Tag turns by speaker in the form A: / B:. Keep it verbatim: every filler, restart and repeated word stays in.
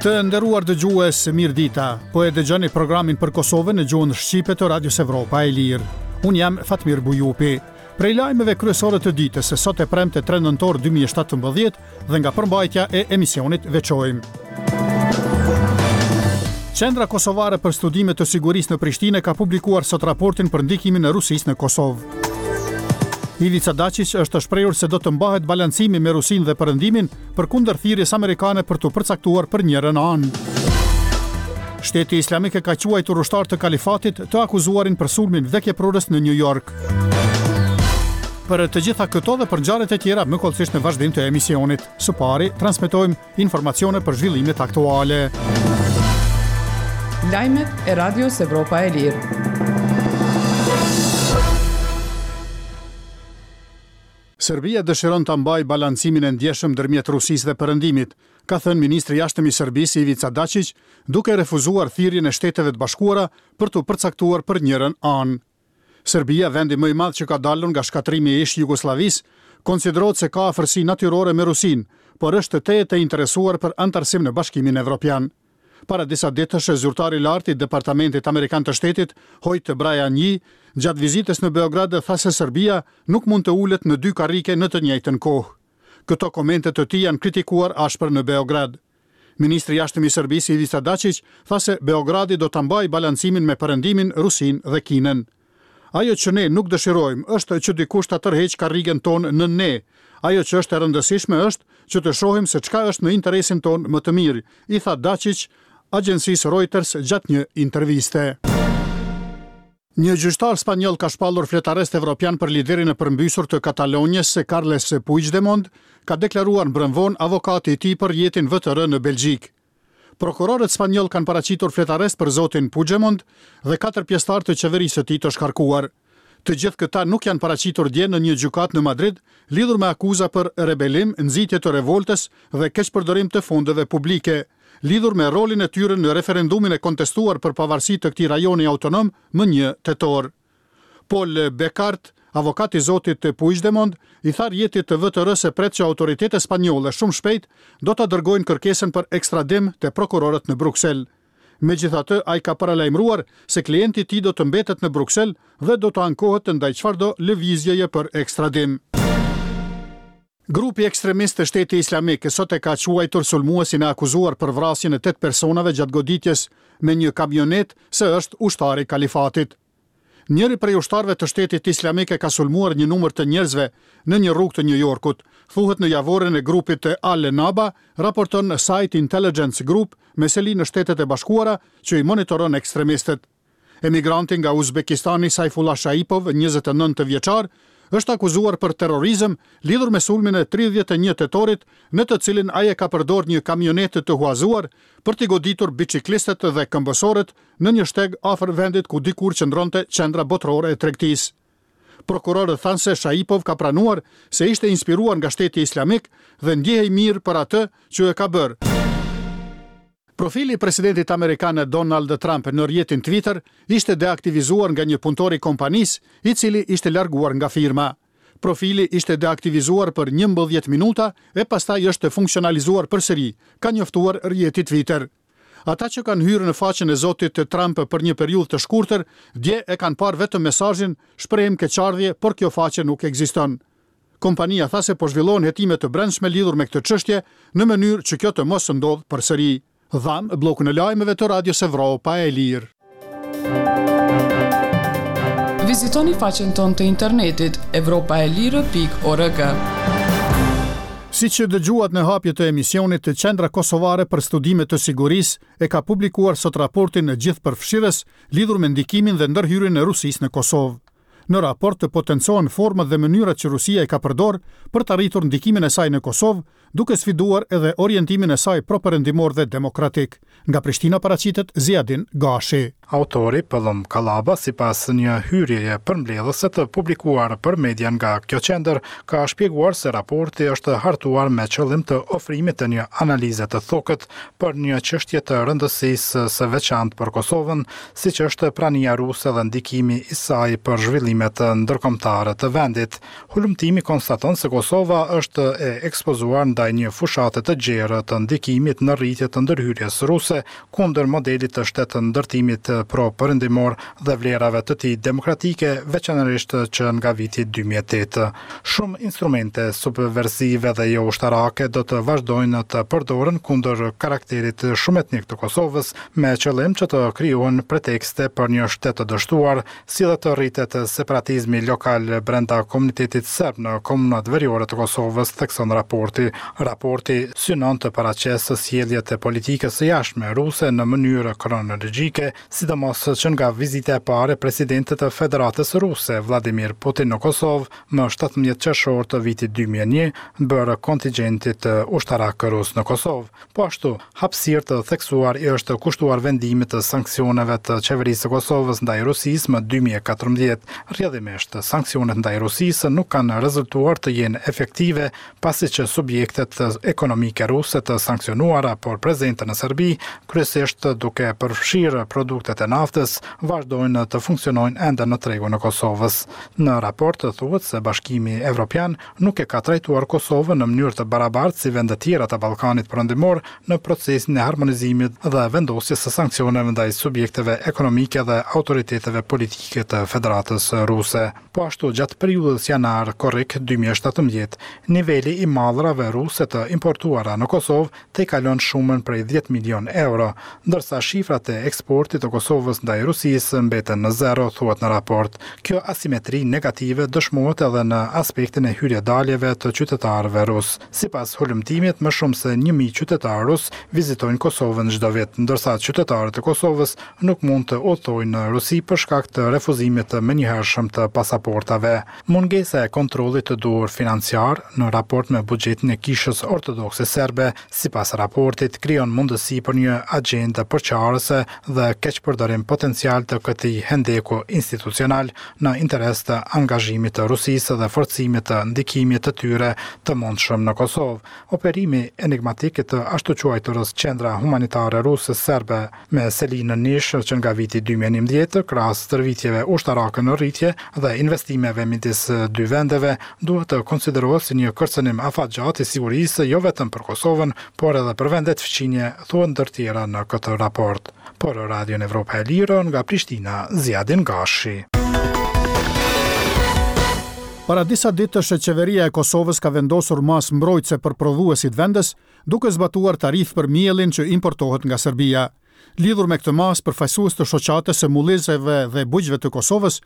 A: Të nderuar dëgjues, mirë dita. Po e dëgjoni programin për Kosovën në gjuhën shqipe të Radios Evropa e Lirë. Unë jam Fatmir Bujupi. Prej lajmeve kryesore të ditës, sot e premte tre nëntor dy mijë e shtatëmbëdhjetë dhe nga përmbajtja e emisionit veçojmë. Qendra Kosovare për Studime të Sigurisë në Prishtinë ka publikuar sot raportin për ndikimin e Rusisë në Kosovë. Ivica Dacic është shprehur se do të mbahet balancimi me Rusinë dhe Perëndimin përkundër thirrjes amerikane për të përcaktuar për njërën anë. Shteti Islamik e ka quajtur ushtar të kalifatit të akuzuarin për sulmin vdekjeprurës në New York. Për të gjitha këto dhe për ngjarjet e tjera më hollësisht në vazhdim të emisionit. Së pari, transmetojmë informacione për zhvillimet aktuale.
B: Lajmet e Radios Evropa e Lirë.
A: Serbia dëshiron të mbajë balancimin e ndjeshëm ndërmjet Rusisë dhe Perëndimit, ka thënë ministri i Jashtëm i Serbisë Ivica Dacic, duke refuzuar thirrjen e Shteteve të Bashkuara për të përcaktuar për njërën anë. Serbia, vendi më i madh që ka dalur nga shkatërrimi i ish Jugosllavisë, konsiderohet se ka afërsi natyrore me Rusinë, por është tejet e interesuar për anëtarësim në Bashkimin Evropian. Para disa ditësh, zyrtari i lartë i Departamentit Amerikan të Shtetit, Hoyt Brian Yee, gjatë vizitës në Beograd tha se Serbia nuk mund të ulet në dy karrike në të njëjtën kohë. Këto komente të tij janë kritikuar ashpër në Beograd. Ministri i Jashtëm i Serbisë Ivica Dacic tha se Beogradi do ta mbajë balancimin me Perëndimin, Rusinë dhe Kinën. "Ajo që ne nuk dëshirojmë është që dikush ta tërheqë karrigen tonë në ne. Ajo që është e rëndësishme është që të shohim se çka është në interesin tonë më të mirë", i tha Dacic agjencisë Reuters gjatë një interviste. Një gjyqtar spanjoll ka shpallur fletarrest evropian për liderin e përmbysur të Katalonjës, Carles Puigdemont, ka deklaruar mbrëmë vonë avokati i tij për rrjetin V T R në Belgjikë. Prokurorët spanjoll kanë paraqitur fletarrest për zotin Puigdemont dhe katër pjesëtarë të qeverisë së tij të shkarkuar. Të gjithë këta nuk janë paraqitur dje në një gjykatë në Madrid lidhur me akuza për rebelim, nxitje të revoltës dhe keqpërdorim të fondeve publike, lidhur me rolin e tyre në referendumin e kontestuar për pavarësi të këtij rajoni autonom më një tetor. Paul Bekaert, avokat i zotit Puigdemont, i tha rrjetit të V T R se pret që autoritetet spanjolle shumë shpejt do ta dërgojnë kërkesën për ekstradim te prokurorët në Bruksel. Megjithatë, ai ka paralajmëruar se klienti i tij do të mbetet në Bruksel dhe do të ankohet ndaj çfarëdo lëvizjeje për ekstradim. Grupi ekstremist të Shteti Islamik sot e ka quajtur sulmuesin e akuzuar për vrasjen e tetë personave gjatë goditjes me një kamionet se është ushtari i kalifatit. Njëri prej ushtarëve të Shtetit Islamik e ka sulmuar një numër të njerëzve në një rrugë të New Yorkut, thuhet në javoren e grupit të Al-Naba, raporton SITE Intelligence Group me seli në Shtetet e Bashkuara që i monitoron ekstremistët. Emigranti nga Uzbekistani Saifullah Shaipov, njëzet e nëntë vjeçar, është akuzuar për terrorizëm lidhur me sulmin e tridhjetë e një tetorit, në të cilin ai e ka përdorur një kamionetë të huazuar për t'i goditur biciklistët dhe këmbësorët në një shteg afër vendit ku dikur qëndronte qendra botërore e tregtisë. Prokurorët thanë se Shaipov ka pranuar se ishte inspiruar nga Shteti Islamik dhe ndjehej mirë për atë që e ka bërë. Profili i presidentit amerikan Donald Trump në rrjetin Twitter ishte deaktivizuar nga një punëtor i kompanisë, i cili ishte larguar nga firma. Profili ishte deaktivizuar për njëmbëdhjetë minuta e pastaj është funksionalizuar përsëri, ka njoftuar rrjeti Twitter. Ata që kanë hyrë në faqen e zotit Trump për një periudhë të shkurtër, dje e kanë parë vetëm mesazhin "Shprehim keqardhje, por kjo faqe nuk ekziston". Kompania tha se po zhvillohen hetime të brendshme lidhur me këtë çështje në mënyrë që kjo të mos ndodhë përsëri. Dhamë bllokun e lajmeve të Radios Evropa e Lirë.
B: Vizitoni faqen tonë të internetit evropaelire pikë org.
A: Si që dëgjuat në hapje të emisionit, të Qendra Kosovare për Studime të Sigurisë e ka publikuar sot raportin gjithëpërfshirës lidhur me ndikimin dhe ndërhyrjen e Rusisë në Kosovë. Në raport të potencohen format dhe mënyrat që Rusia i ka përdor për të arritur ndikimin e saj në Kosovë, duke sfiduar edhe orientimin e saj pro-perëndimor dhe demokratik. Nga Prishtina paraqitet Ziadin Gashi.
C: Autori Pëllumb Kallaba, sipas një hyrjeje përmbledhëse të publikuar për media nga kjo qendër, ka shpjeguar se raporti është hartuar me qëllim të ofrimit të një analize të thukët për një çështje të rëndësisë së veçantë për Kosovën, siç është prania ruse dhe ndikimi i saj për zhvillimet ndërkombëtare të vendit. Hulumtimi konstaton se Kosova është e ekspozuar ndaj ndaj një fushate të gjerë të ndikimit në rritje të ndërhyrjes ruse kundër modelit të shtetndërtimit pro-perëndimor dhe vlerave të tij demokratike, veçanërisht që nga viti dy mijë e tetë. Shumë instrumente subversive dhe jo ushtarake do të vazhdojnë të përdoren kundër karakterit shumetnik të Kosovës, me qëllim që të krijohen pretekste për një shtet të dështuar, si dhe të rritet separatizmi lokal brenda komunitetit serb në komunat veriore të Kosovës, thekson raporti. Raporti synon të paraqesë sjelljet e politikës së jashtme ruse në mënyrë kronologjike, sidomos që nga vizita e parë e presidentit të Federatës Ruse, Vladimir Putin në Kosovë, më shtatëmbëdhjetë qershor të vitit dy mijë e një, bërë kontingjentit ushtarak rus në Kosovë. Po ashtu, hapësirë të theksuar i është kushtuar vendimit të sanksioneve të qeverisë së Kosovës ndaj Rusisë më dy mijë e katërmbëdhjetë. Rrjedhimisht, sanksionet ndaj Rusisë nuk kanë rezultuar të jenë efektive, pasi që subjektet ekonomike ruse të sanksionuara por prezente në Serbi, kryesisht duke përfshirë produktet e naftës, vazhdojnë të funksionojnë ende në tregun e Kosovës. Në raport thuhet se Bashkimi Evropian nuk e ka trajtuar Kosovën në mënyrë të barabartë si vendet tjera të Ballkanit Perëndimor në procesin e harmonizimit dhe vendosjes së sanksioneve ndaj subjekteve ekonomike dhe autoriteteve politike të Federatës Ruse. Po ashtu, gjatë periudhës janar-korrik dy mijë e shtatëmbëdhjetë, niveli i mallrave ruse të importuara në Kosovë tejkalon shumën prej dhjetë milion euro, ndërsa shifrat e eksportit të Kosovës ndaj Rusisë mbeten në zero, thuhet në raport. Kjo asimetri negative dëshmohet edhe në aspektin e hyrje-daljeve të qytetarëve rus. Sipas hulumtimit, më shumë se një mijë qytetarë rus vizitojnë Kosovën çdo vit, ndërsa qytetarët e Kosovës nuk mund të udhtojnë në Rusi për shkak të refuzimit të menjëhershëm të pasaportave. Mungesa e kontrollit të duhur financiar në raport me buxhetin e Kishës Ortodokse Serbe, sipas raportit, krijon mundësi për një agjendë përçarëse dhe keqpërdorim potencial të këtij hendeku institucional në interes të angazhimit të Rusisë dhe forcimit të ndikimit të tyre të mundshëm në Kosovë. Operimi enigmatik i të ashtuquajturës Qendra Humanitare Ruse Serbe me seli në Nish që nga viti dy mijë e njëmbëdhjetë, krahas stërvitjeve ushtarake në rritje dhe investimeve midis dy vendeve, duhet të konsiderohet si një kërcënim afatgjatë i sigurisë jo vetëm për Kosovën, por edhe për vendet fqinje, thuhet ndër tjera në këtë raport. Për Radion Evropa e Lirë nga Prishtina, Ziadin Gashi.
A: Para disa ditësh qeveria e Kosovës ka vendosur masë mbrojtëse për prodhuesit vendës, duke zbatuar tarifë për miellin që importohet nga Serbia. Lidhur me këtë masë, përfaqësues të shoqatës së mullizeve dhe bujqve të Kosovës